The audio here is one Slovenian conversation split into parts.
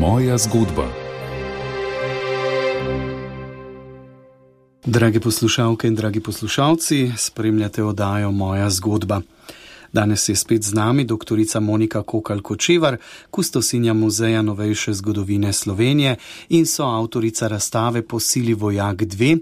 Moja zgodba. Drage poslušalke in dragi poslušalci, spremljate oddajo Moja zgodba. Danes je spet z nami doktorica Monika Kokalj-Kočevar, kustosinja Muzeja novejše zgodovine Slovenije in soavtorica razstave Po sili vojak 2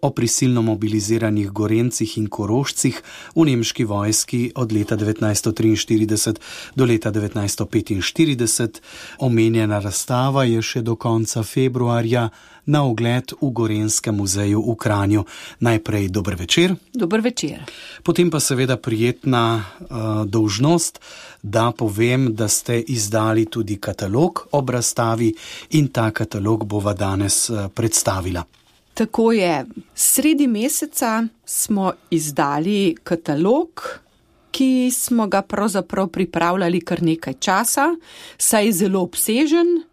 o prisilno mobiliziranih Gorencih in Korošcih v nemški vojski od leta 1943 do leta 1945. Omenjena razstava je še do konca februarja na ogled v Gorenjskem muzeju v Kranju. Najprej dober večer. Dober večer. Potem pa seveda prijetna dolžnost, da povem, da ste izdali tudi katalog ob razstavi in ta katalog bova danes predstavila. Tako je. Sredi meseca smo izdali katalog, ki smo ga pravzaprav pripravljali kar nekaj časa, saj je zelo obsežen.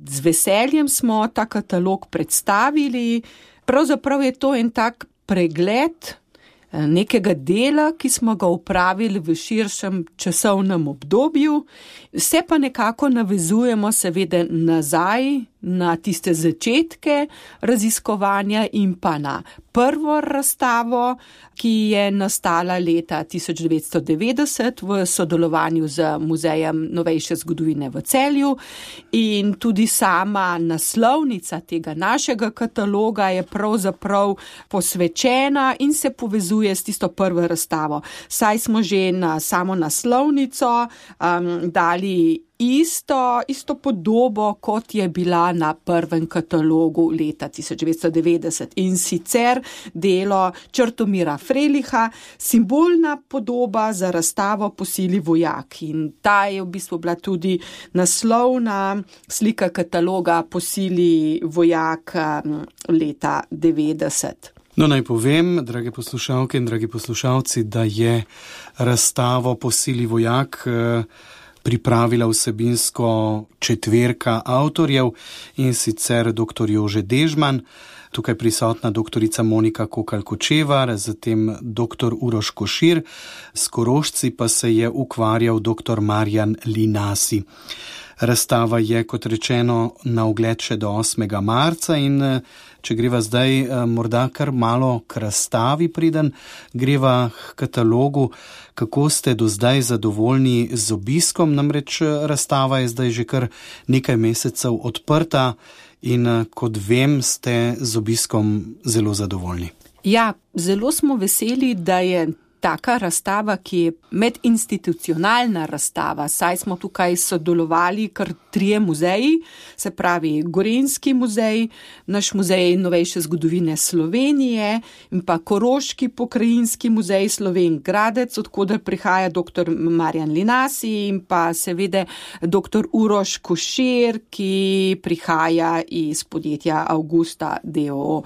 Z veseljem smo ta katalog predstavili. Pravzaprav je to en tak pregled nekega dela, ki smo ga opravili v širšem časovnem obdobju. Se pa nekako navezujemo seveda nazaj na tiste začetke raziskovanja in pa na prvo razstavo, ki je nastala leta 1990 v sodelovanju z Muzejem novejše zgodovine v Celju. In tudi sama naslovnica tega našega kataloga je pravzaprav posvečena in se povezuje s tisto prvo razstavo. Saj smo že na samo naslovnico dali isto podobo, kot je bila na prvem katalogu leta 1990. In sicer delo Črtomira Freliha, simbolna podoba za razstavo Po sili vojak. In ta je v bistvu bila tudi naslovna slika kataloga Po sili vojak leta 90. No, naj povem, drage poslušalke in dragi poslušalci, da je razstavo Po sili vojak pripravila vsebinsko četverka avtorjev, in sicer dr. Jože Dežman, tukaj prisotna doktorica Monika Kokalj-Kočevar, zatem dr. Uroš Košir, s Korošci pa se je ukvarjal dr. Marjan Linasi. Razstava je, kot rečeno, na ogled še do 8. marca in če greva zdaj morda kar malo k razstavi, preden greva k katalogu, kako ste do zdaj zadovoljni z obiskom, namreč razstava je zdaj že kar nekaj mesecev odprta in kot vem, ste z obiskom zelo zadovoljni. Ja, zelo smo veseli, da je taka razstava, ki je medinstitucionalna razstava, saj smo tukaj sodelovali kar 3 muzeji, se pravi Gorenjski muzej, naš Muzej novejše zgodovine Slovenije in pa Koroški pokrajinski muzej Slovenj Gradec, odkoder prihaja dr. Marjan Linasi in pa seveda dr. Uroš Košir, ki prihaja iz podjetja Augusta d.o.o.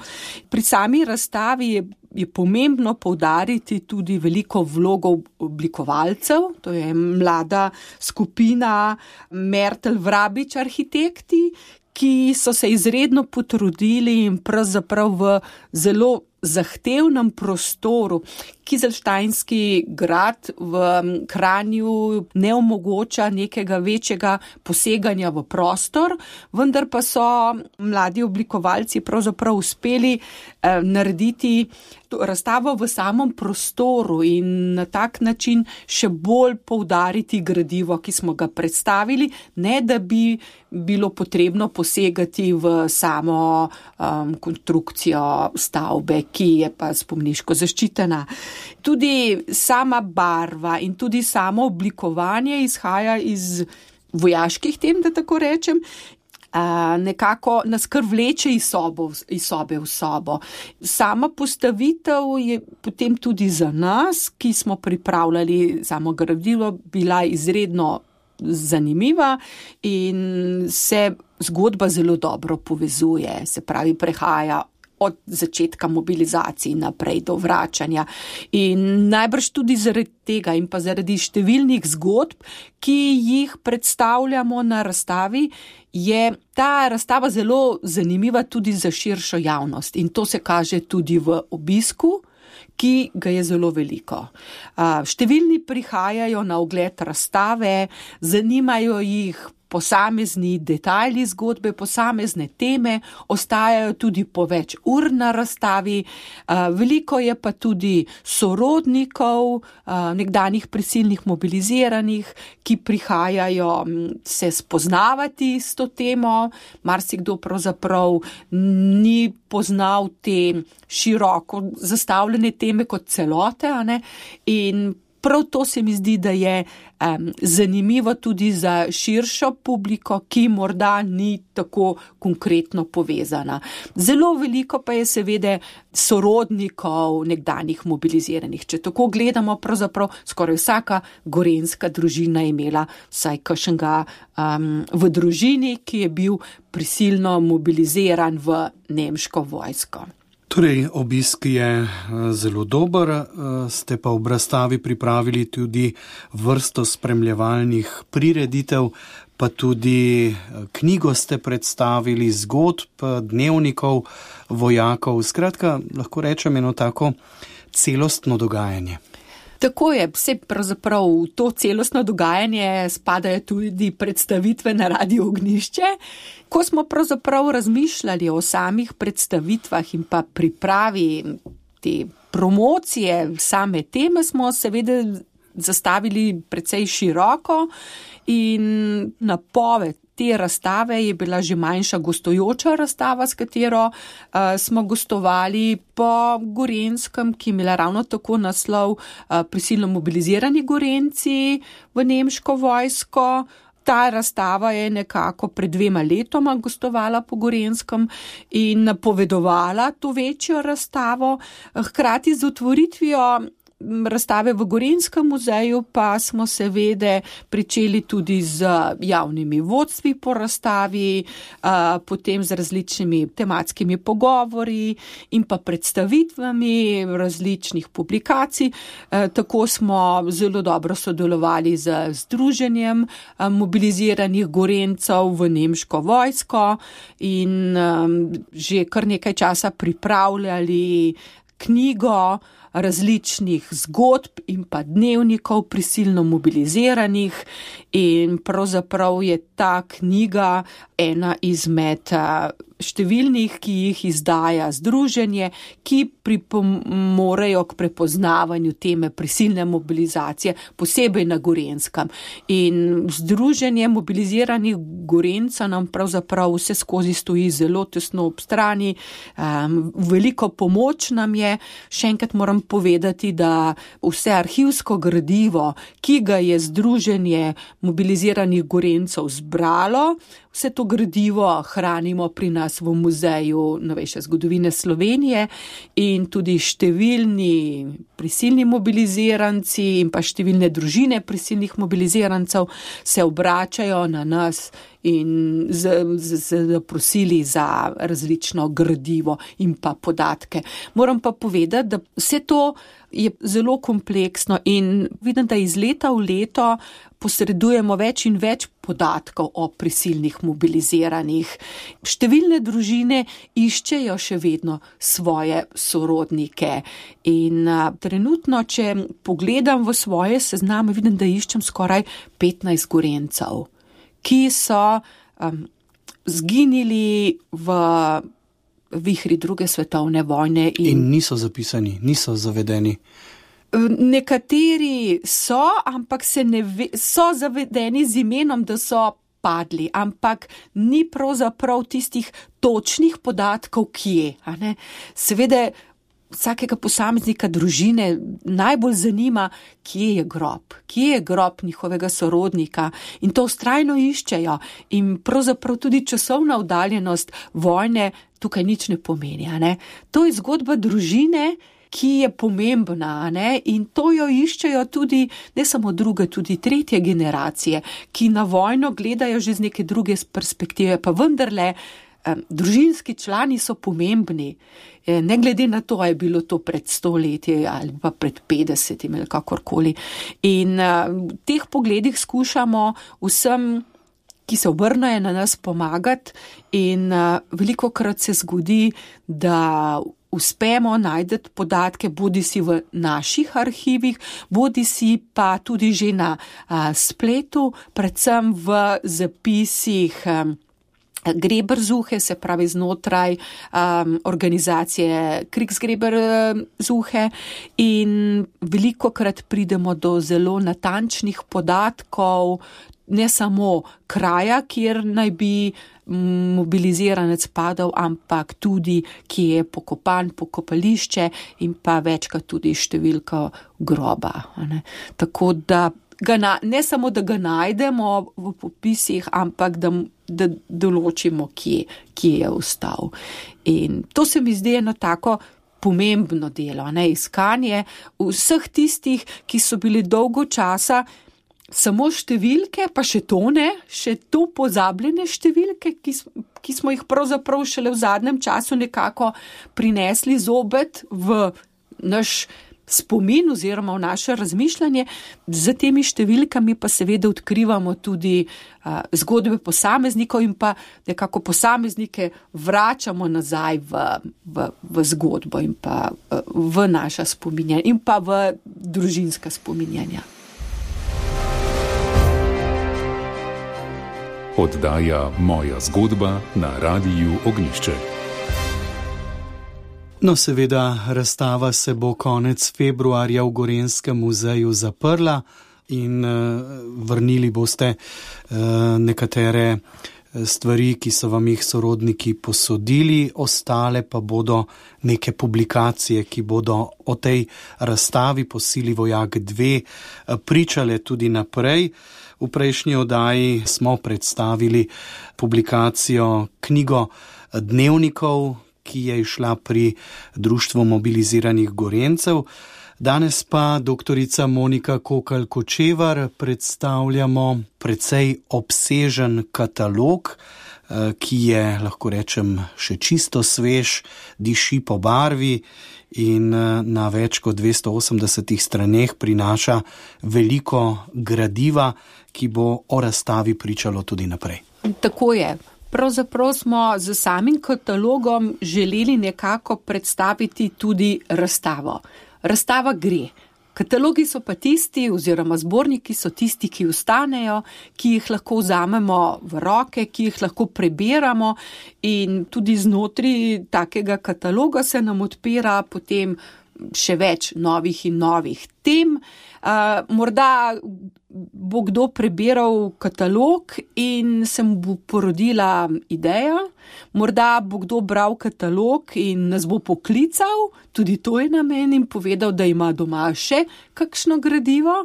Pri sami razstavi je pomembno poudariti tudi veliko vlogo oblikovalcev, to je mlada skupina Mertel-Vrabič arhitekti, ki so se izredno potrudili in pravzaprav v zelo zahtevnem prostoru. Kizelštajnski grad v Kranju ne omogoča nekega večjega poseganja v prostor, vendar pa so mladi oblikovalci pravzaprav uspeli narediti razstavo v samem prostoru in na tak način še bolj poudariti gradivo, ki smo ga predstavili, ne da bi bilo potrebno posegati v samo konstrukcijo stavbe, ki je pa spomniško zaščitena. Tudi sama barva in tudi samo oblikovanje izhaja iz vojaških tem, da tako rečem, nekako nas kar vleče iz sobe v sobo. Sama postavitev je potem tudi za nas, ki smo pripravljali samo gradivo, bila izredno zanimiva in se zgodba zelo dobro povezuje, se pravi prehaja od začetka mobilizacij naprej do vračanja. In najbrž tudi zaradi tega in pa zaradi številnih zgodb, ki jih predstavljamo na razstavi, je ta razstava zelo zanimiva tudi za širšo javnost. In to se kaže tudi v obisku, ki ga je zelo veliko. Številni prihajajo na ogled razstave, zanimajo jih posamezni detajli zgodbe, posamezne teme ostajajo tudi po več ur na razstavi. Veliko je pa tudi sorodnikov, nekdanjih prisilnih mobiliziranih, ki prihajajo se spoznavati s to temo. Marsikdo pravzaprav ni poznal te široko zastavljene teme kot celote, in prav to se mi zdi, da je zanimivo tudi za širšo publiko, ki morda ni tako konkretno povezana. Zelo veliko pa je seveda sorodnikov nekdanjih mobiliziranih. Če tako gledamo, pravzaprav skoraj vsaka gorenjska družina je imela vsaj kakšnega v družini, ki je bil prisilno mobiliziran v nemško vojsko. Torej, obisk je zelo dober, ste pa ob razstavi pripravili tudi vrsto spremljevalnih prireditev, pa tudi knjigo ste predstavili, zgodb, dnevnikov vojakov. Skratka, lahko rečem eno tako celostno dogajanje. Tako je, vse pravzaprav v to celostno dogajanje spadajo tudi predstavitve na Radiu Ognjišče. Ko smo pravzaprav razmišljali o samih predstavitvah in pa pripravi te promocije same teme, smo seveda zastavili precej široko in napoved te razstave je bila že manjša gostujoča razstava, s katero smo gostovali po Gorenjskem, ki je imela ravno tako naslov Prisilno mobilizirani Gorenjci v nemško vojsko. Ta razstava je nekako pred 2 letoma gostovala po Gorenjskem in napovedovala to večjo razstavo. Hkrati z otvoritvijo razstave v Gorenjskem muzeju pa smo seveda pričeli tudi z javnimi vodstvi po razstavi, potem z različnimi tematskimi pogovori in pa predstavitvami različnih publikacij. Tako smo zelo dobro sodelovali z Združenjem mobiliziranih Gorenjcev v nemško vojsko in že kar nekaj časa pripravljali knjigo različnih zgodb in pa dnevnikov prisilno mobiliziranih in pravzaprav je ta knjiga ena izmed številnih, ki jih izdaja združenje, ki pripomorejo k prepoznavanju teme prisilne mobilizacije, posebej na Gorenjskem. In združenje mobiliziranih Gorenjcev nam pravzaprav vse skozi stoji zelo tesno ob strani, veliko pomoč nam je. Še enkrat moram povedati, da vse arhivsko gradivo, ki ga je združenje mobiliziranih Gorenjcev zbralo, vse to gradivo hranimo pri nas v Muzeju novejše zgodovine Slovenije in tudi številni prisilni mobiliziranci in pa številne družine prisilnih mobilizirancev se obračajo na nas in zaprosili za različno gradivo in pa podatke. Moram pa povedati, da vse to je zelo kompleksno in vidim, da iz leta v leto posredujemo več in več podatkov o prisilnih mobiliziranih. Številne družine iščejo še vedno svoje sorodnike in trenutno, če pogledam v svoje sezname, vidim, da iščem skoraj 15 Gorenjcev, ki so zginili v vihri druge svetovne vojne. In niso zapisani, niso zavedeni. Nekateri so, ampak so zavedeni z imenom, da so padli, ampak ni pravzaprav tistih točnih podatkov, kje. Seveda vsakega posameznika družine najbolj zanima, kje je grob njihovega sorodnika in to vztrajno iščejo in pravzaprav tudi časovna oddaljenost vojne tukaj nič ne pomeni. To je zgodba družine, ki je pomembna, in to jo iščejo tudi ne samo druge, tudi tretje generacije, ki na vojno gledajo že z neke druge perspektive, pa vendarle družinski člani so pomembni, ne glede na to, je bilo to pred 100 leti ali pa pred 50 ali kakorkoli. In v teh pogledih skušamo vsem, ki se obrnejo na nas, pomagati in velikokrat se zgodi, da uspemo najti podatke, bodi si v naših arhivih, bodi si pa tudi že na spletu, predvsem v zapisih Gräbersuche, se pravi znotraj organizacije Kriegsgräbersuche, in velikokrat pridemo do zelo natančnih podatkov, ne samo kraja, kjer naj bi mobiliziranec padal, ampak tudi, kje je pokopan, pokopališče in pa večkrat tudi številka groba. Tako da ne samo, da ga najdemo v popisih, ampak da določimo, kje je ostal. In to se mi zdi eno tako pomembno delo, iskanje vseh tistih, ki so bili dolgo časa samo številke, pa še to pozabljene številke, ki smo jih pravzaprav šele v zadnjem času nekako prinesli zopet v naš spomin oziroma v naše razmišljanje. Z temi številkami pa seveda odkrivamo tudi zgodbe posameznikov in pa nekako posameznike vračamo nazaj v zgodbo in pa v naša spominjanja in pa v družinska spominjanja. Oddaja Moja zgodba na Radiu Ognjišče. No, seveda, razstava se bo konec februarja v Gorenjskem muzeju zaprla in vrnili boste nekatere stvari, ki so vam jih sorodniki posodili, ostale pa bodo neke publikacije, ki bodo o tej razstavi Po sili vojak 2 pričale tudi naprej. V prejšnji oddaji smo predstavili publikacijo knjigo dnevnikov, ki je išla pri Društvu mobiliziranih Gorenjcev. Danes pa doktorica Monika Kokalj-Kočevar predstavljamo precej obsežen katalog, ki je, lahko rečem, še čisto svež, diši po barvi in na več kot 280 straneh prinaša veliko gradiva, ki bo o razstavi pričalo tudi naprej. Tako je. Pravzaprav smo z samim katalogom želeli nekako predstaviti tudi razstavo. Razstava gre. Katalogi so pa tisti, oziroma zborniki so tisti, ki ostanejo, ki jih lahko vzamemo v roke, ki jih lahko preberamo, in tudi znotraj takega kataloga se nam odpira potem še več novih in novih tem. Morda bo kdo preberal katalog in se mu bo porodila ideja, morda bo kdo bral katalog in nas bo poklical, tudi to je namen, in povedal, da ima doma še kakšno gradivo.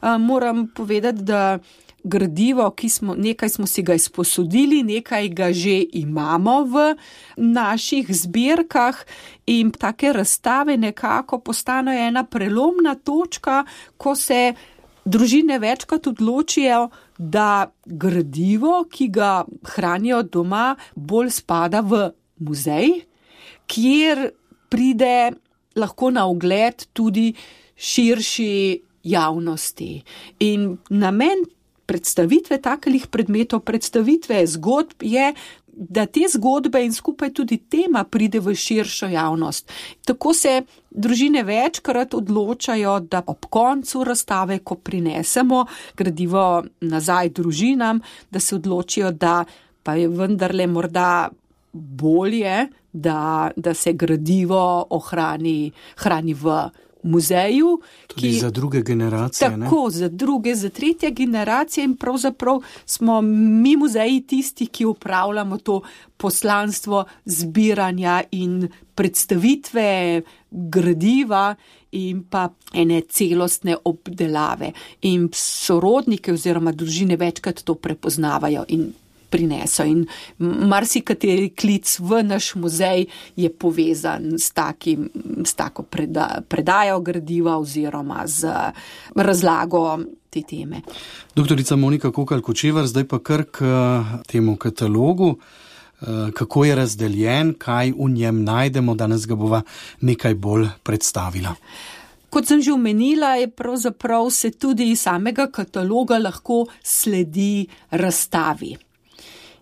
Moram povedati, da gradivo, nekaj smo si ga izposodili, nekaj ga že imamo v naših zbirkah, in take razstave nekako postanejo ena prelomna točka, ko se družine večkrat odločijo, da gradivo, ki ga hranijo doma, bolj spada v muzej, kjer pride lahko na ogled tudi širši javnosti. In namen predstavitve takih predmetov, predstavitve zgodb je, da te zgodbe in skupaj tudi tema pride v širšo javnost. Tako se družine večkrat odločajo, da ob koncu razstave, ko prinesemo gradivo nazaj družinam, da se odločijo, da pa je vendarle morda bolje, da se gradivo hrani v muzeju. Tudi za druge generacije. Tako, za druge, za tretje generacije, in pravzaprav smo mi muzeji tisti, ki upravljamo to poslanstvo zbiranja in predstavitve gradiva in pa ene celostne obdelave. In sorodnike oziroma družine večkrat to prepoznavajo in prineso. In marsikateri klic v naš muzej je povezan s tako predajo gradiva oziroma z razlago te teme. Doktorica Monika Kokalj-Kočevar, zdaj pa kar k temu katalogu. Kako je razdeljen, kaj v njem najdemo, danes ga bova nekaj bolj predstavila. Kot sem že omenila, je pravzaprav se tudi iz samega kataloga lahko sledi razstavi.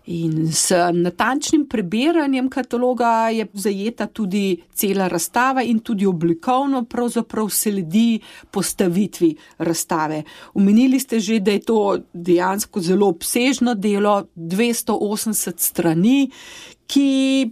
In s natančnim prebiranjem kataloga je zajeta tudi cela razstava in tudi oblikovno pravzaprav sledi postavitvi razstave. Omenili ste že, da je to dejansko zelo obsežno delo, 280 strani, ki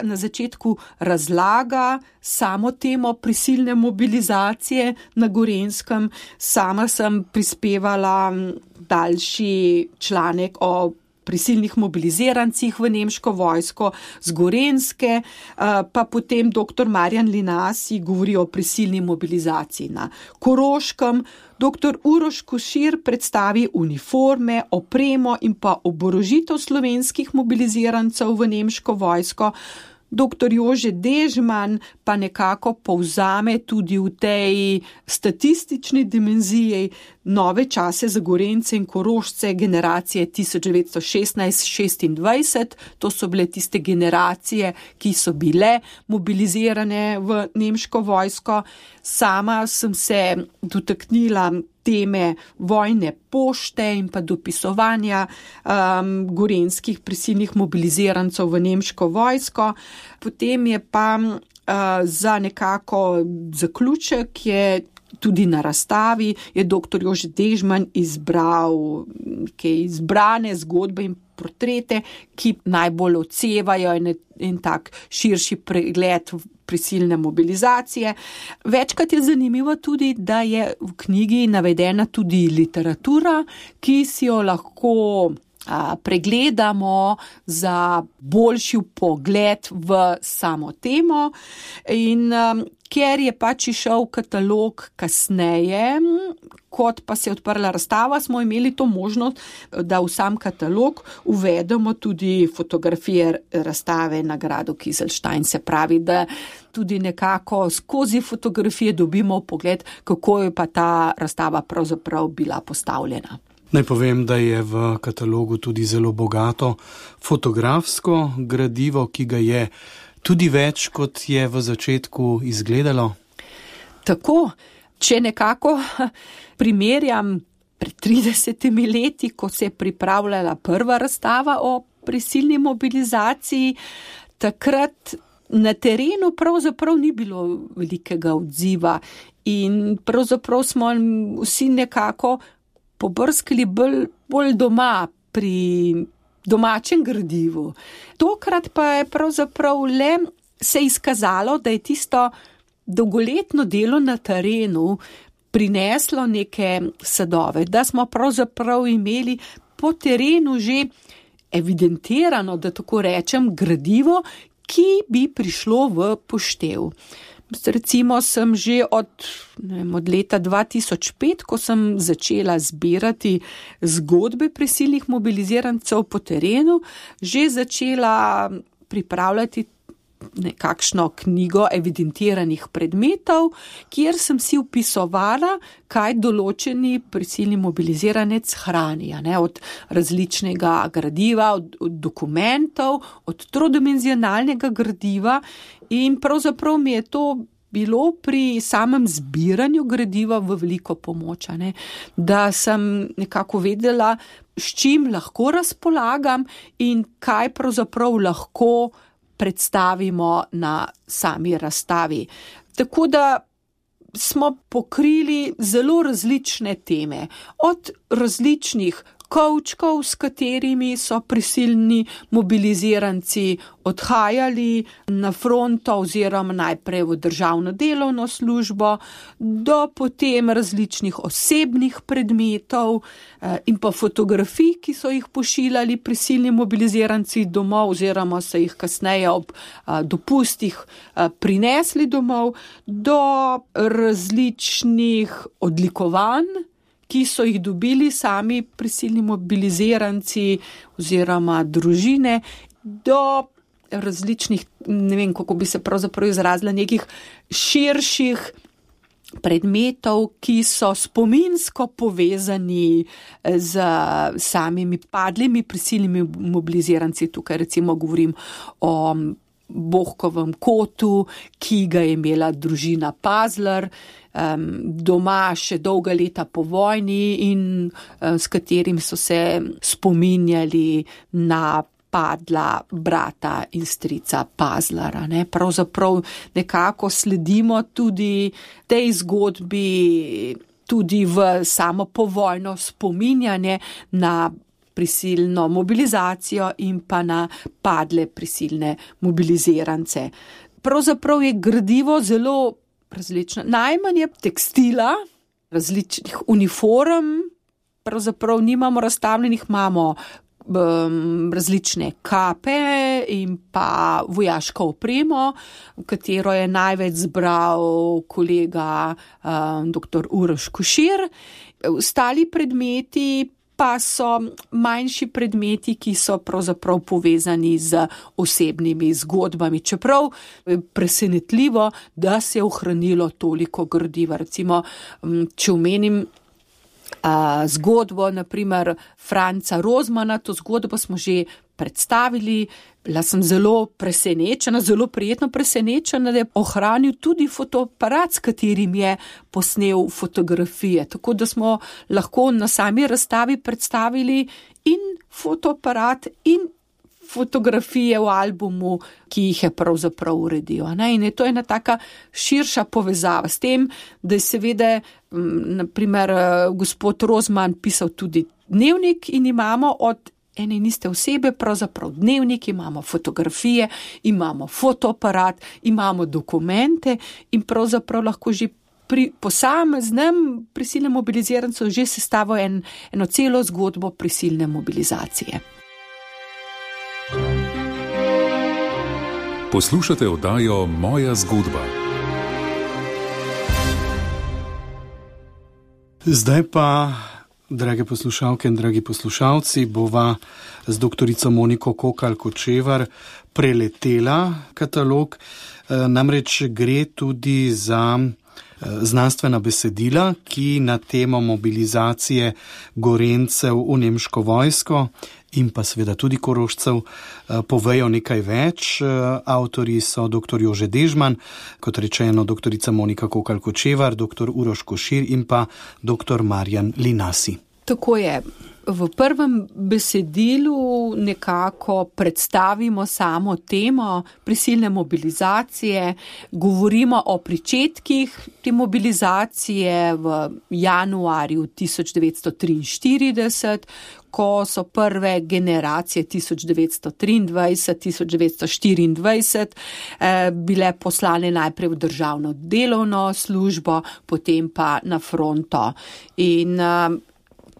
na začetku razlaga samo temo prisilne mobilizacije na Gorenjskem. Sama sem prispevala daljši članek o prisilnih mobilizirancih v nemško vojsko z Gorenjske, pa potem dr. Marjan Linasi govori o prisilni mobilizaciji na Koroškem, dr. Uroš Košir predstavi uniforme, opremo in pa oborožitev slovenskih mobilizirancev v nemško vojsko, dr. Jože Dežman pa nekako povzame tudi v tej statistični dimenziji nove čase za Gorenjce in Korošce generacije 1916-26. To so bile tiste generacije, ki so bile mobilizirane v nemško vojsko. Sama sem se dotaknila teme vojne pošte in pa dopisovanja gorenjskih prisilnih mobilizirancev v nemško vojsko. Potem je pa za nekako zaključek je tudi na razstavi je dr. Jože Dežman izbral izbrane zgodbe in portrete, ki najbolj odsevajo en tak širši pregled prisilne mobilizacije. Večkrat je zanimivo tudi, da je v knjigi navedena tudi literatura, ki si jo lahko pregledamo za boljši pogled v samo temo. In ker je pač išel katalog kasneje, kot pa se je odprla razstava, smo imeli to možnost, da v sam katalog uvedemo tudi fotografije razstave na gradu Kizlstein. Se pravi, da tudi nekako skozi fotografije dobimo pogled, kako je pa ta razstava pravzaprav bila postavljena. Naj povem, da je v katalogu tudi zelo bogato fotografsko gradivo, ki ga je tudi več, kot je v začetku izgledalo. Tako, če nekako primerjam pred 30 leti, ko se je pripravljala prva razstava o prisilni mobilizaciji, takrat na terenu pravzaprav ni bilo velikega odziva in pravzaprav smo vsi nekako pobrskali bolj doma pri domačem gradivu. Tokrat pa je pravzaprav le se izkazalo, da je tisto dolgoletno delo na terenu prineslo neke sadove, da smo pravzaprav imeli po terenu že evidentirano, da tako rečem, gradivo, ki bi prišlo v poštev. Recimo sem že od leta 2005, ko sem začela zbirati zgodbe prisilnih mobilizirancev po terenu, že začela pripravljati nekakšno knjigo evidentiranih predmetov, kjer sem si vpisovala, kaj določeni prisilni mobiliziranec hrani, od različnega gradiva, od dokumentov, od trodimenzionalnega gradiva in pravzaprav mi je to bilo pri samem zbiranju gradiva v veliko pomoč, da sem nekako vedela, s čim lahko razpolagam in kaj pravzaprav lahko predstavimo na sami razstavi. Tako da smo pokrili zelo različne teme, od različnih kovčkov, s katerimi so prisilni mobiliziranci odhajali na fronto oziroma najprej v državno delovno službo, do potem različnih osebnih predmetov in pa fotografij, ki so jih pošiljali prisilni mobiliziranci domov oziroma so jih kasneje ob dopustih prinesli domov, do različnih odlikovanj, ki so jih dobili sami prisilni mobiliziranci oziroma družine, do različnih, ne vem, kako bi se pravzaprav izrazila, nekih širših predmetov, ki so spominsko povezani z samimi padlimi prisilnimi mobiliziranci. Tukaj recimo govorim o Bohkovem kotu, ki ga je imela družina Pazler, doma še dolga leta po vojni in s katerim so se spominjali na padla brata in strica Pazlara. Pravzaprav nekako sledimo tudi tej zgodbi, tudi v samo povojno spominjanje na prisilno mobilizacijo in pa na padle prisilne mobilizirance. Pravzaprav je gradivo zelo različno. Najmanj je tekstila, različnih uniform, pravzaprav nimamo razstavljenih, imamo različne kape in pa vojaško opremo, v katero je največ zbral kolega dr. Uroš Košir. Ostali predmeti pa so manjši predmeti, ki so pravzaprav povezani z osebnimi zgodbami. Čeprav je presenetljivo, da se je ohranilo toliko gradiva. Recimo, če omenim zgodbo, naprimer Franca Rozmana, to zgodbo smo že predstavili. Bila sem zelo presenečena, zelo prijetno presenečena, da je ohranil tudi fotoaparat, s katerim je posnel fotografije. Tako da smo lahko na sami razstavi predstavili in fotoaparat in fotografije v albumu, ki jih je pravzaprav uredil. In je to ena taka širša povezava s tem, da je seveda, naprimer, gospod Rozman pisal tudi dnevnik in imamo od ene in iste osebe pravzaprav dnevnik, imamo fotografije, imamo fotoaparat, imamo dokumente in pravzaprav lahko že pri posameznem prisilnem mobilizirancu že sestavo eno celo zgodbo prisilne mobilizacije. Poslušate oddajo Moja zgodba. Zdaj pa, drage poslušalke in dragi poslušalci, bova z doktorico Moniko Kokalj-Kočevar preletela katalog. Namreč gre tudi za znanstvena besedila, ki na temo mobilizacije Gorenjcev v nemško vojsko in pa seveda tudi Korošcev povejo nekaj več. Avtorji so dr. Jože Dežman, kot rečeno doktorica Monika Kokalj-Kočevar, dr. Uroš Košir in pa dr. Marjan Linasi. Tako je. V prvem besedilu nekako predstavimo samo temo prisilne mobilizacije, govorimo o pričetkih te mobilizacije v januarju 1943, ko so prve generacije 1923-1924 bile poslane najprej v državno delovno službo, potem pa na fronto. In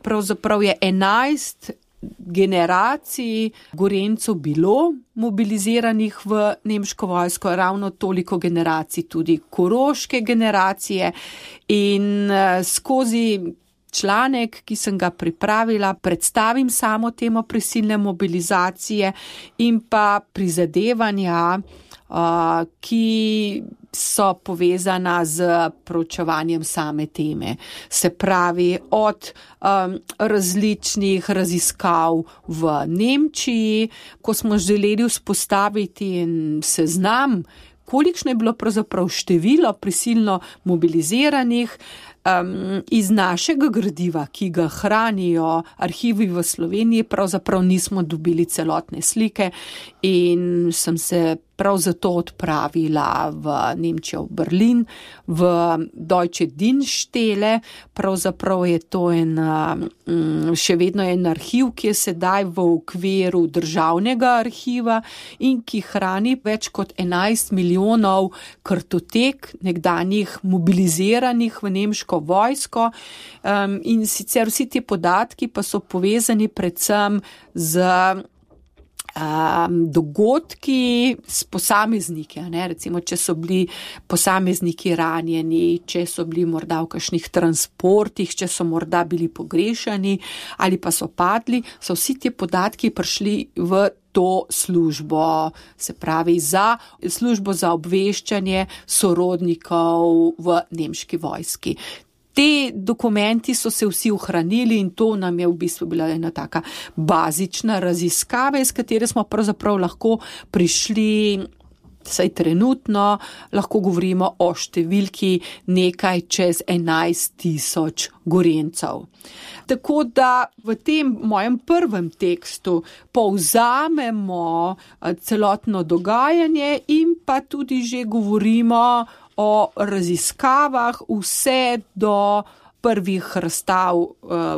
pravzaprav je 11 generacij Gorenjcev bilo mobiliziranih v nemško vojsko, ravno toliko generacij tudi koroške generacije in skozi članek, ki sem ga pripravila, predstavim samo temo prisilne mobilizacije in pa prizadevanja, ki so povezana z proučevanjem same teme. Se pravi, od različnih raziskav v Nemčiji, ko smo želeli vzpostaviti en seznam, kolikšno je bilo pravzaprav število prisilno mobiliziranih, iz našega gradiva, ki ga hranijo arhivi v Sloveniji, pravzaprav nismo dobili celotne slike in sem se prav zato odpravila v Nemčijo, v Berlin, v Deutsche Dienststelle. Pravzaprav je to še vedno en arhiv, ki je sedaj v okviru državnega arhiva in ki hrani več kot 11 milijonov kartotek nekdanjih mobiliziranih v nemško vojsko. In sicer vsi ti podatki pa so povezani predvsem z dogodki s posamezniki, recimo, če so bili posamezniki ranjeni, če so bili morda v kakšnih transportih, če so morda bili pogrešani ali pa so padli, so vsi ti podatki prišli v to službo, se pravi za službo za obveščanje sorodnikov v nemški vojski. Te dokumenti so se vsi ohranili in to nam je v bistvu bila ena taka bazična raziskava, iz katere smo pravzaprav lahko prišli saj trenutno lahko govorimo o številki nekaj čez 11,000 Gorenjcev. Tako da v tem mojem prvem tekstu povzamemo celotno dogajanje in pa tudi že govorimo o raziskavah vse do prvih razstav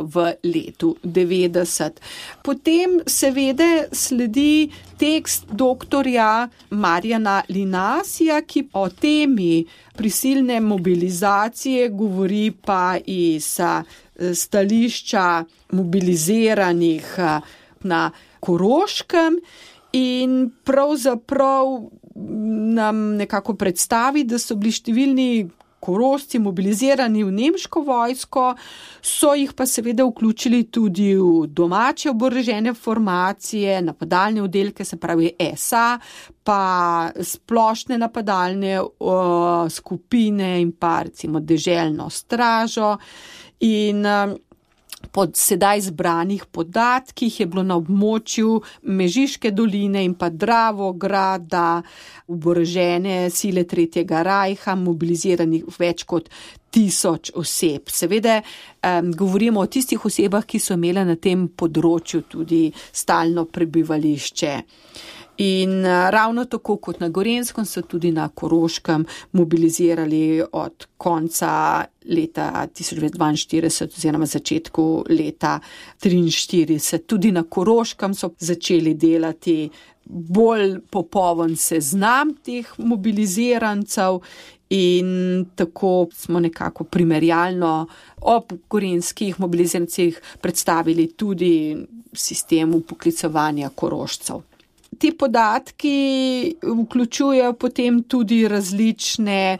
v letu 90. Potem seveda sledi tekst doktorja Marjana Linasija, ki o temi prisilne mobilizacije govori pa iz stališča mobiliziranih na Koroškem in pravzaprav nam nekako predstavi, da so bili številni Korošci mobilizirani v nemško vojsko, so jih pa seveda vključili tudi v domače oborožene formacije, napadalne oddelke, se pravi SA, pa splošne napadalne skupine in pa recimo deželno stražo. In po sedaj zbranih podatkih je bilo na območju Mežiške doline in pa Dravograda oborožene sile Tretjega rajha mobiliziranih več kot 1000 oseb. Seveda govorimo o tistih osebah, ki so imele na tem področju tudi stalno prebivališče. In ravno tako kot na Gorenjskem so tudi na Koroškem mobilizirali od konca leta 1942 oziroma začetku leta 1943. Tudi na Koroškem so začeli delati bolj popoln seznam teh mobilizirancev in tako smo nekako primerjalno ob gorenjskih mobilizirancih predstavili tudi sistem vpoklicevanja Korošcev. Ti podatki vključujejo potem tudi različne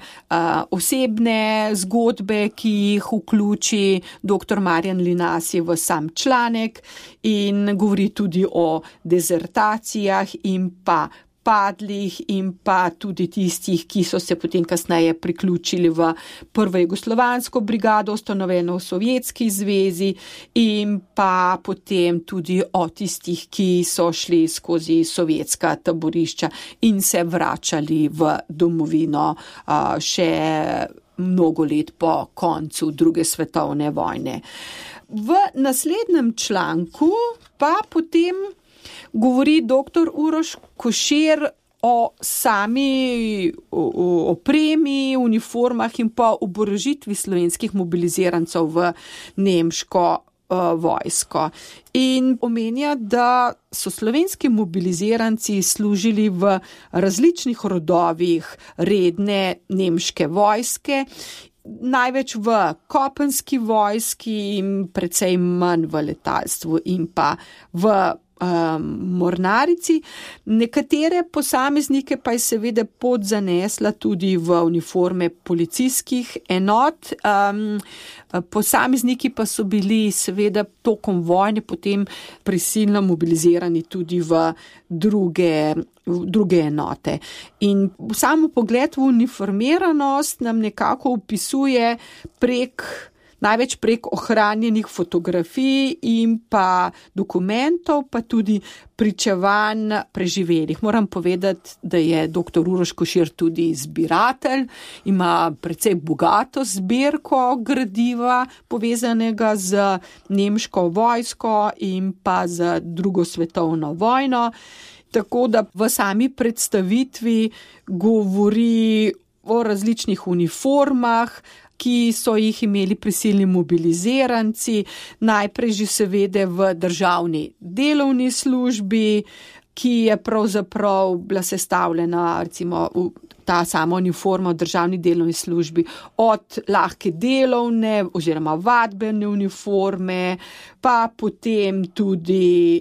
osebne zgodbe, ki jih vključi dr. Marjan Linasij v sam članek in govori tudi o dezertacijah in pa padlih in pa tudi tistih, ki so se potem kasneje priključili v prvo jugoslovansko brigado, ustanovljeno v Sovjetski zvezi in pa potem tudi o tistih, ki so šli skozi sovjetska taborišča in se vračali v domovino še mnogo let po koncu druge svetovne vojne. V naslednjem članku pa potem govori dr. Uroš Košir o sami opremi, uniformah in pa oborožitvi slovenskih mobilizirancev v nemško vojsko. In omenja, da so slovenski mobiliziranci služili v različnih rodovih redne nemške vojske, največ v kopenski vojski in precej manj v letalstvu in pa v mornarici. Nekatere posameznike pa je seveda pot zanesla tudi v uniforme policijskih enot. Posamezniki pa so bili seveda tokom vojne potem prisilno mobilizirani tudi v druge enote. In samo pogled v uniformiranost nam nekako opisuje največ prek ohranjenih fotografij in pa dokumentov, pa tudi pričevanj preživelih. Moram povedati, da je dr. Uroš Košir tudi zbiratelj, ima precej bogato zbirko gradiva povezanega z nemško vojsko in pa z drugo svetovno vojno. Tako da v sami predstavitvi govori o različnih uniformah, ki so jih imeli prisilni mobiliziranci, najprej že seveda v državni delovni službi, ki je pravzaprav bila sestavljena, recimo ta sama uniforma v državni delovni službi, od lahke delovne oziroma vadbene uniforme, pa potem tudi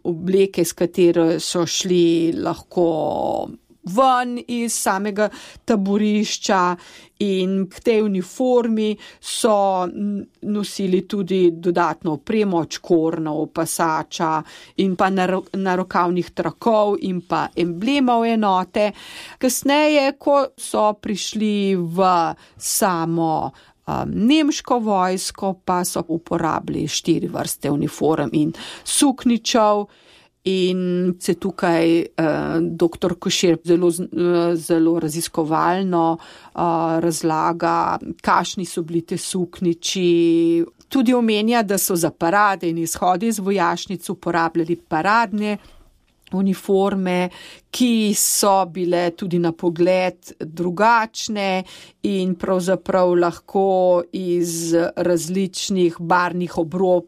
obleke, s katero so šli lahko ven iz samega taborišča in k tej uniformi so nosili tudi dodatno opremo, čkornov, pasača in pa narokavnih trakov in pa emblemov enote. Kasneje, ko so prišli v samo nemško vojsko, pa so uporabili 4 vrste uniform in sukničev. in se tukaj dr. Košir zelo raziskovalno razlaga, kakšni so bili te suknjiči. Tudi omenja, da so za parade in izhode iz vojašnic uporabljali paradne uniforme, ki so bile tudi na pogled drugačne in pravzaprav lahko iz različnih barvnih obrob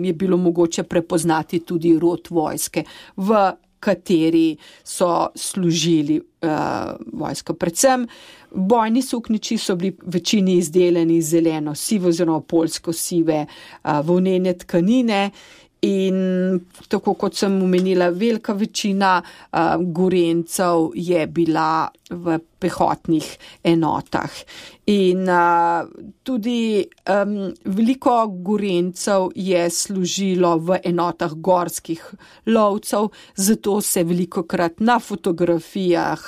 je bilo mogoče prepoznati tudi rod vojske, v kateri so služili vojsko. Predvsem bojni suknjiči so bili večini izdelani iz zeleno-sive oziroma poljsko-sive volnene tkanine. In tako kot sem omenila, velika večina Gorenjcev je bila v pehotnih enotah. In tudi veliko Gorenjcev je služilo v enotah gorskih lovcev, zato se velikokrat na fotografijah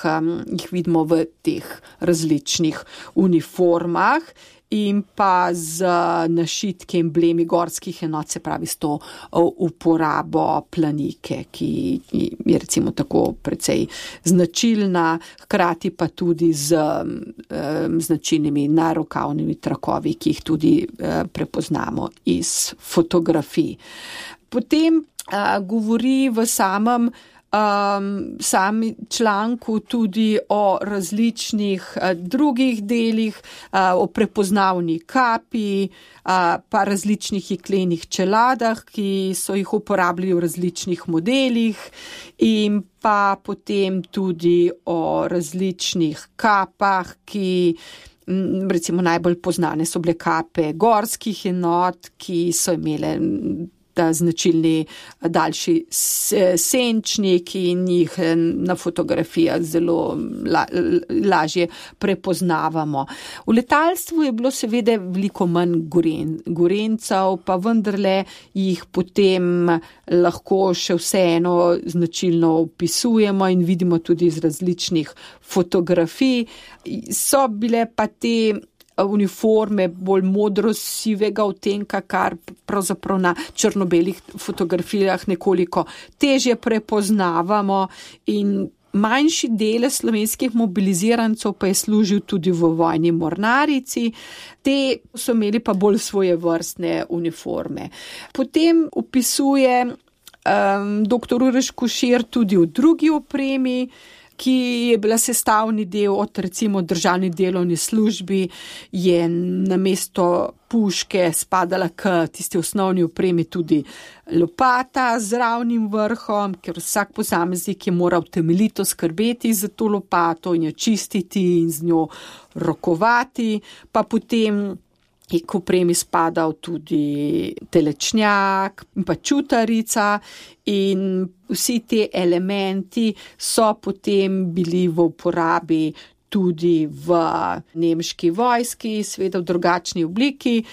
jih vidimo v teh različnih uniformah. In pa z našitki emblemi gorskih enot, se pravi s to uporabo planike, ki je recimo tako precej značilna, hkrati pa tudi z značilnimi narokavnimi trakovi, ki jih tudi prepoznamo iz fotografij. Potem govori v samem članku tudi o različnih drugih delih, o prepoznavni kapi, pa različnih jeklenih čeladah, ki so jih uporabljali v različnih modelih, in pa potem tudi o različnih kapah, ki recimo najbolj poznane so bile kape gorskih enot, ki so imele ta značilni daljši senčnik in jih na fotografijah zelo lažje prepoznavamo. V letalstvu je bilo seveda veliko manj Gorenjcev, pa vendarle jih potem lahko še vseeno značilno opisujemo in vidimo tudi iz različnih fotografij. So bile pa te uniforme bolj modro-sivega odtenka, kar pravzaprav na črno-belih fotografijah nekoliko težje prepoznavamo, in manjši delež slovenskih mobilizirancev pa je služil tudi v vojni mornarici. Te so imeli pa bolj svojevrstne uniforme. Potem opisuje dr. Uroš Košir tudi v drugi opremi, ki je bila sestavni del od recimo državni delovni službi, je namesto puške spadala k tisti osnovni opremi tudi lopata z ravnim vrhom, ker vsak posameznik je moral temeljito skrbeti za to lopato in jo čistiti in z njo rokovati, pa potem je k opremi spadal tudi telečnjak in pa čutarica, in vsi te elementi so potem bili v uporabi tudi v nemški vojski, seveda v drugačni obliki.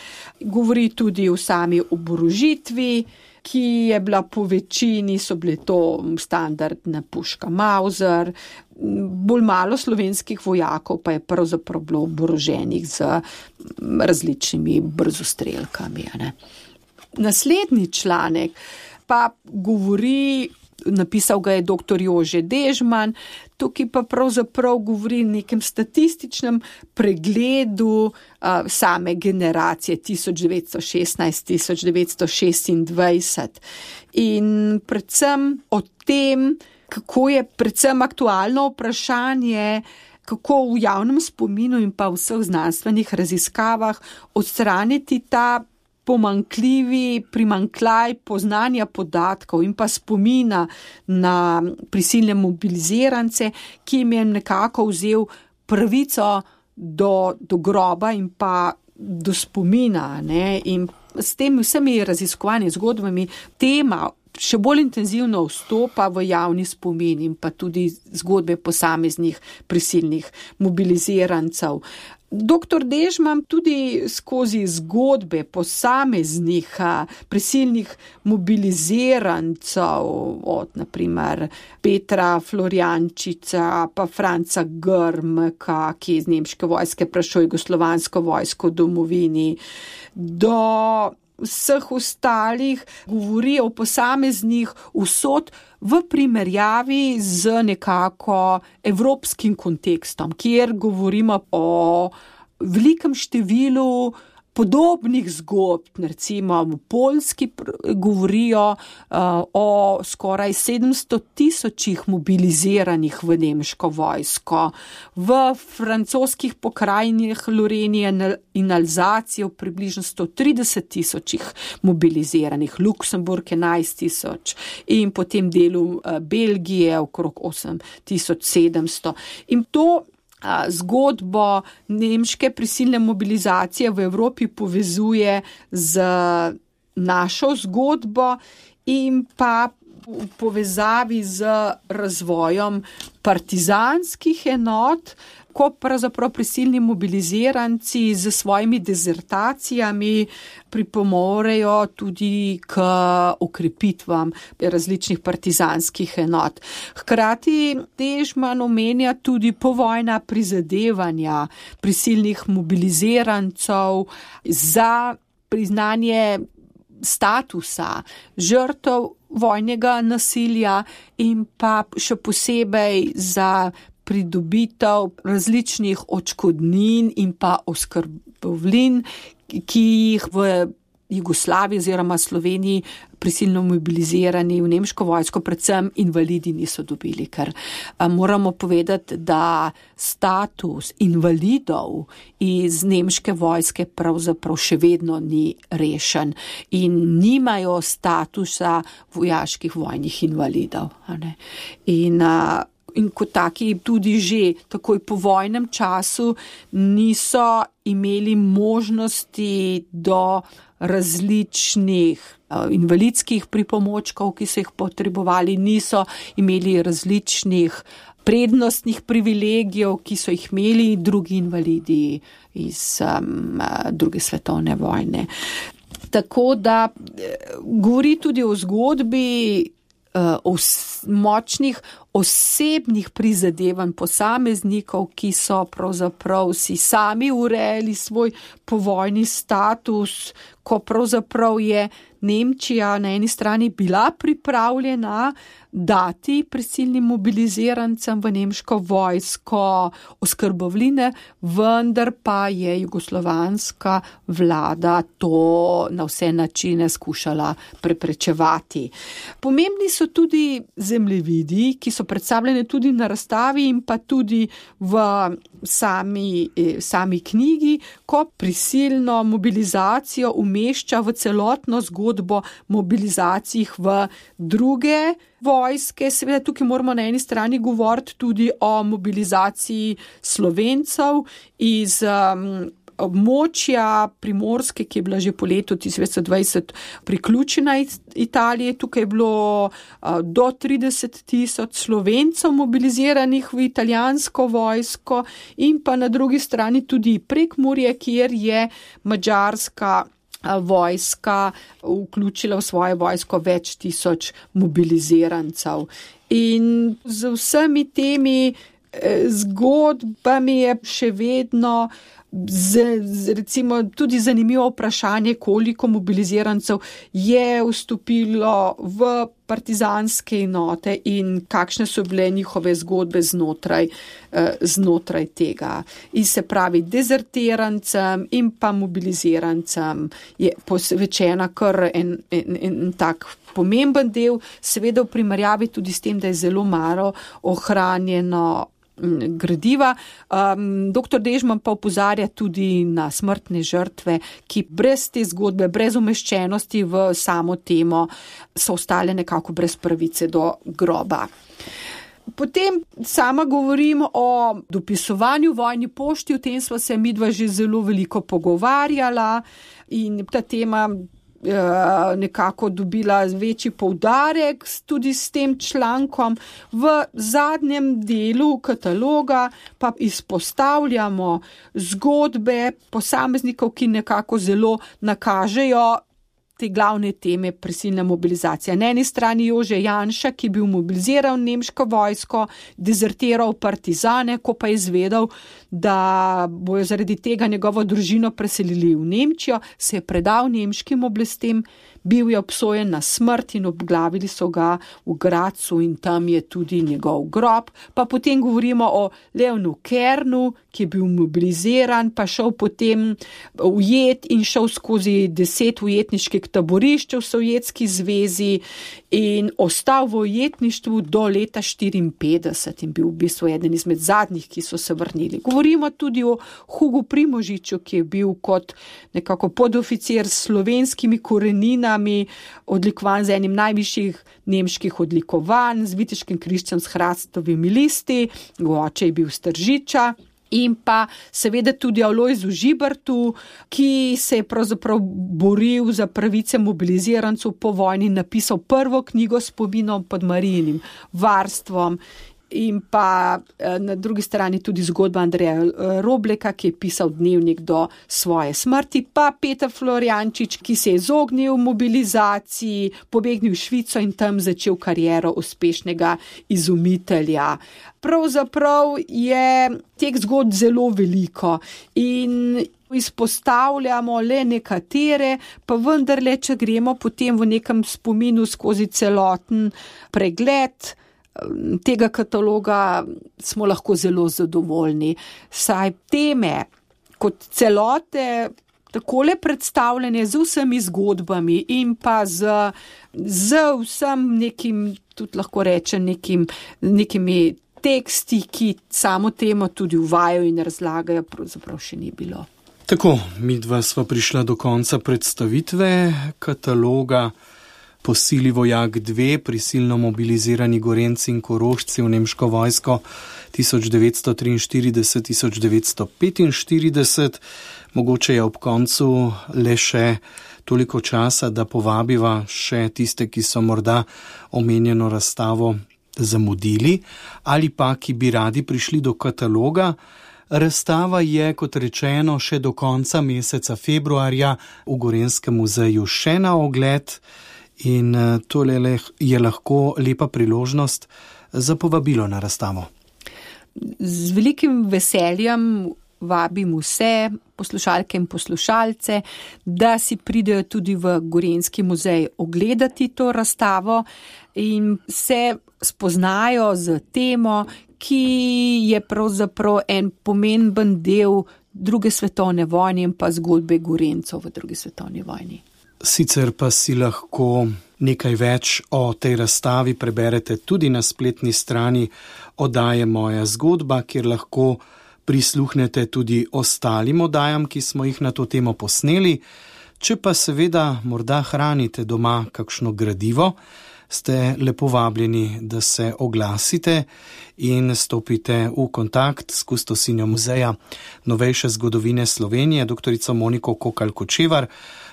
Govori tudi o sami oborožitvi, ki je bila po večini, so bile to standardna puška Mauser, bolj malo slovenskih vojakov pa je pravzaprav bilo oboroženih z različnimi brzostrelkami. Naslednji članek pa govori, napisal ga je dr. Jože Dežman, tukaj pa pravzaprav govori o nekem statističnem pregledu same generacije 1916-1926 in predvsem o tem, kako je predvsem aktualno vprašanje, kako v javnem spominu in pa v vseh znanstvenih raziskavah odstraniti ta primanjkljaj poznanja podatkov in pa spomina na prisilne mobilizirance, ki jim je nekako vzel pravico do groba in pa do spomina. In s temi vsemi raziskovanji zgodbami tema še bolj intenzivno vstopa v javni spomin in pa tudi zgodbe posameznih prisilnih mobilizirancev. Dr. Dežman tudi skozi zgodbe posameznih prisilnih mobilizirancev, od naprimer Petra Florjančiča, pa Franca Grmka, ki je iz nemške vojske prešel jugoslovansko vojsko v domovini, do vseh ostalih govori o posameznih usod v primerjavi z nekako evropskim kontekstom, kjer govorimo o velikem številu podobnih zgodb. Recimo v Poljski govorijo o skoraj 700,000 mobiliziranih v nemško vojsko, v francoskih pokrajinah Lorenije in Alzacijo približno 130,000 mobiliziranih, Luksemburg 11,000 in potem delu Belgije okrog 8,700. In to zgodbo nemške prisilne mobilizacije v Evropi povezuje z našo zgodbo in pa v povezavi z razvojem partizanskih enot, ko pravzaprav prisilni mobiliziranci z svojimi dezertacijami pripomorejo tudi k okrepitvam različnih partizanskih enot. Hkrati Dežman omenja tudi povojna prizadevanja prisilnih mobilizirancev za priznanje statusa žrtev vojnega nasilja in pa še posebej za pridobitev različnih odškodnin in pa oskrbovlin, ki jih v Jugoslaviji oziroma Sloveniji prisilno mobilizirani v nemško vojsko, predvsem invalidi niso dobili, ker moramo povedati, da status invalidov iz nemške vojske pravzaprav še vedno ni rešen in nimajo statusa vojaških vojnih invalidov. In kot taki tudi že takoj po vojnem času niso imeli možnosti do različnih invalidskih pripomočkov, ki so jih potrebovali, niso imeli različnih prednostnih privilegijev, ki so jih imeli drugi invalidi iz druge svetovne vojne. Tako da govori tudi o zgodbi o močnih osebnih prizadevanj posameznikov, ki so pravzaprav si sami urejali svoj povojni status, ko pravzaprav je Nemčija na eni strani bila pripravljena dati prisilnim mobilizirancem v nemško vojsko oskrbovline, vendar pa je jugoslovanska vlada to na vse načine skušala preprečevati. Pomembni so tudi zemljevidi, ki so predstavljeni tudi na razstavi in pa tudi v sami knjigi, ko prisilno mobilizacijo umešča v celotno zgodbo mobilizacij v druge vojske. Seveda tukaj moramo na eni strani govoriti tudi o mobilizaciji Slovencev iz območja Primorske, ki je bila že po letu 1920 priključena Italiji. Tukaj je bilo do 30,000 Slovencev mobiliziranih v italijansko vojsko in pa na drugi strani tudi Prekmurje, kjer je madžarska vojska vključila v svoje vojsko več tisoč mobilizirancev. In z vsemi temi zgodbami je še vedno recimo tudi zanimivo vprašanje, koliko mobilizirancev je vstopilo v partizanske enote in kakšne so bile njihove zgodbe znotraj tega. In se pravi, dezertirancem in pa mobilizirancem je posvečena kar en tak pomemben del, seveda v primerjavi tudi s tem, da je zelo malo ohranjeno gradiva. Dr. Dežman pa opozarja tudi na smrtne žrtve, ki brez te zgodbe, brez umeščenosti v samo temo, so ostale nekako brez pravice do groba. Potem sama govorim o dopisovanju vojni pošti, o tem sva se midva že zelo veliko pogovarjala in ta tema nekako dobila večji poudarek tudi s tem člankom. V zadnjem delu kataloga pa izpostavljamo zgodbe posameznikov, ki nekako zelo nakažejo te glavne teme prisilna mobilizacija. Na eni strani Jože Janša, ki je bil mobiliziral nemško vojsko, dezertiral partizane, ko pa je izvedel, da bojo zaradi tega njegovo družino preselili v Nemčijo, se je predal nemškim oblastem, bil je obsojen na smrt in obglavili so ga v Gradcu in tam je tudi njegov grob. Pa potem govorimo o Leonu Kernu, ki je bil mobiliziran, pa šel potem ujet in šel skozi 10 ujetniških taborišč v Sovjetski zvezi in ostal v ujetništvu do leta 1954 in bil v bistvu eden izmed zadnjih, ki so se vrnili. Govorimo tudi o Hugu Primožiču, ki je bil kot nekako podoficir s slovenskimi koreninami, odlikovan z enim najvišjih nemških odlikovanj, z viteškim križcem s hrastovimi listi, oče je bil Stržiča. In pa seveda tudi Alojzu Žibertu, ki se je pravzaprav boril za pravice mobilizirancev po vojni, napisal prvo knjigo s spominom pod Marijinim varstvom. In pa na drugi strani tudi zgodba Andreja Robleka, ki je pisal dnevnik do svoje smrti, pa Peter Florjančič, ki se je izognil mobilizaciji, pobegnil v Švico in tam začel kariero uspešnega izumitelja. Pravzaprav je teh zgodb zelo veliko in izpostavljamo le nekatere, pa vendarle, če gremo potem v nekem spominu skozi celoten pregled tega kataloga, smo lahko zelo zadovoljni. Saj teme kot celote takole predstavljene z vsemi zgodbami in pa z vsem nekim, tudi lahko rečem, nekimi teksti, ki samo temo tudi uvajajo in razlagajo, pravzaprav še ni bilo. Tako, midva sva prišla do konca predstavitve kataloga Po sili vojak 2, prisilno mobilizirani Gorenjci in Korošci v nemško vojsko 1943-1945. Mogoče je ob koncu le še toliko časa, da povabiva še tiste, ki so morda omenjeno razstavo zamudili ali pa ki bi radi prišli do kataloga. Razstava je, kot rečeno, še do konca meseca februarja v Gorenjskem muzeju še na ogled. In tole je lahko lepa priložnost za povabilo na razstavo. Z velikim veseljem vabim vse poslušalke in poslušalce, da si pridejo tudi v Gorenjski muzej ogledati to razstavo in se spoznajo z temo, ki je pravzaprav en pomemben del druge svetovne vojne in pa zgodbe Gorenjcev v drugi svetovni vojni. Sicer pa si lahko nekaj več o tej razstavi preberete tudi na spletni strani oddaje Moja zgodba, kjer lahko prisluhnete tudi ostalim oddajam, ki smo jih na to temo posneli. Če pa seveda morda hranite doma kakšno gradivo, ste lepo vabljeni, da se oglasite in stopite v kontakt s kustosinjo muzeja novejše zgodovine Slovenije, doktorico Moniko Kokalj-Kočevar,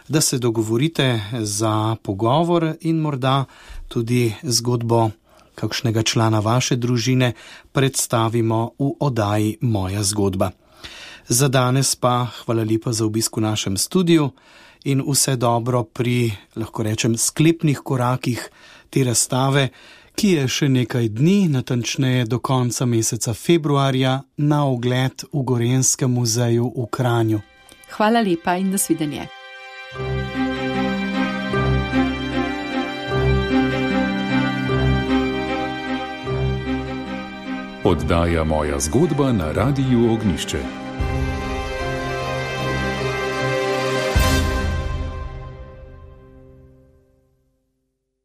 da se dogovorite za pogovor in morda tudi zgodbo kakšnega člana vaše družine predstavimo v oddaji Moja zgodba. Za danes pa hvala lepa za obisk v našem studiu in vse dobro pri, lahko rečem, sklepnih korakih te razstave, ki je še nekaj dni, natančneje do konca meseca februarja, na ogled v Gorenjskem muzeju v Kranju. Hvala lepa in nasvidenje. Oddaja Moja zgodba na Radiu Ognjišče.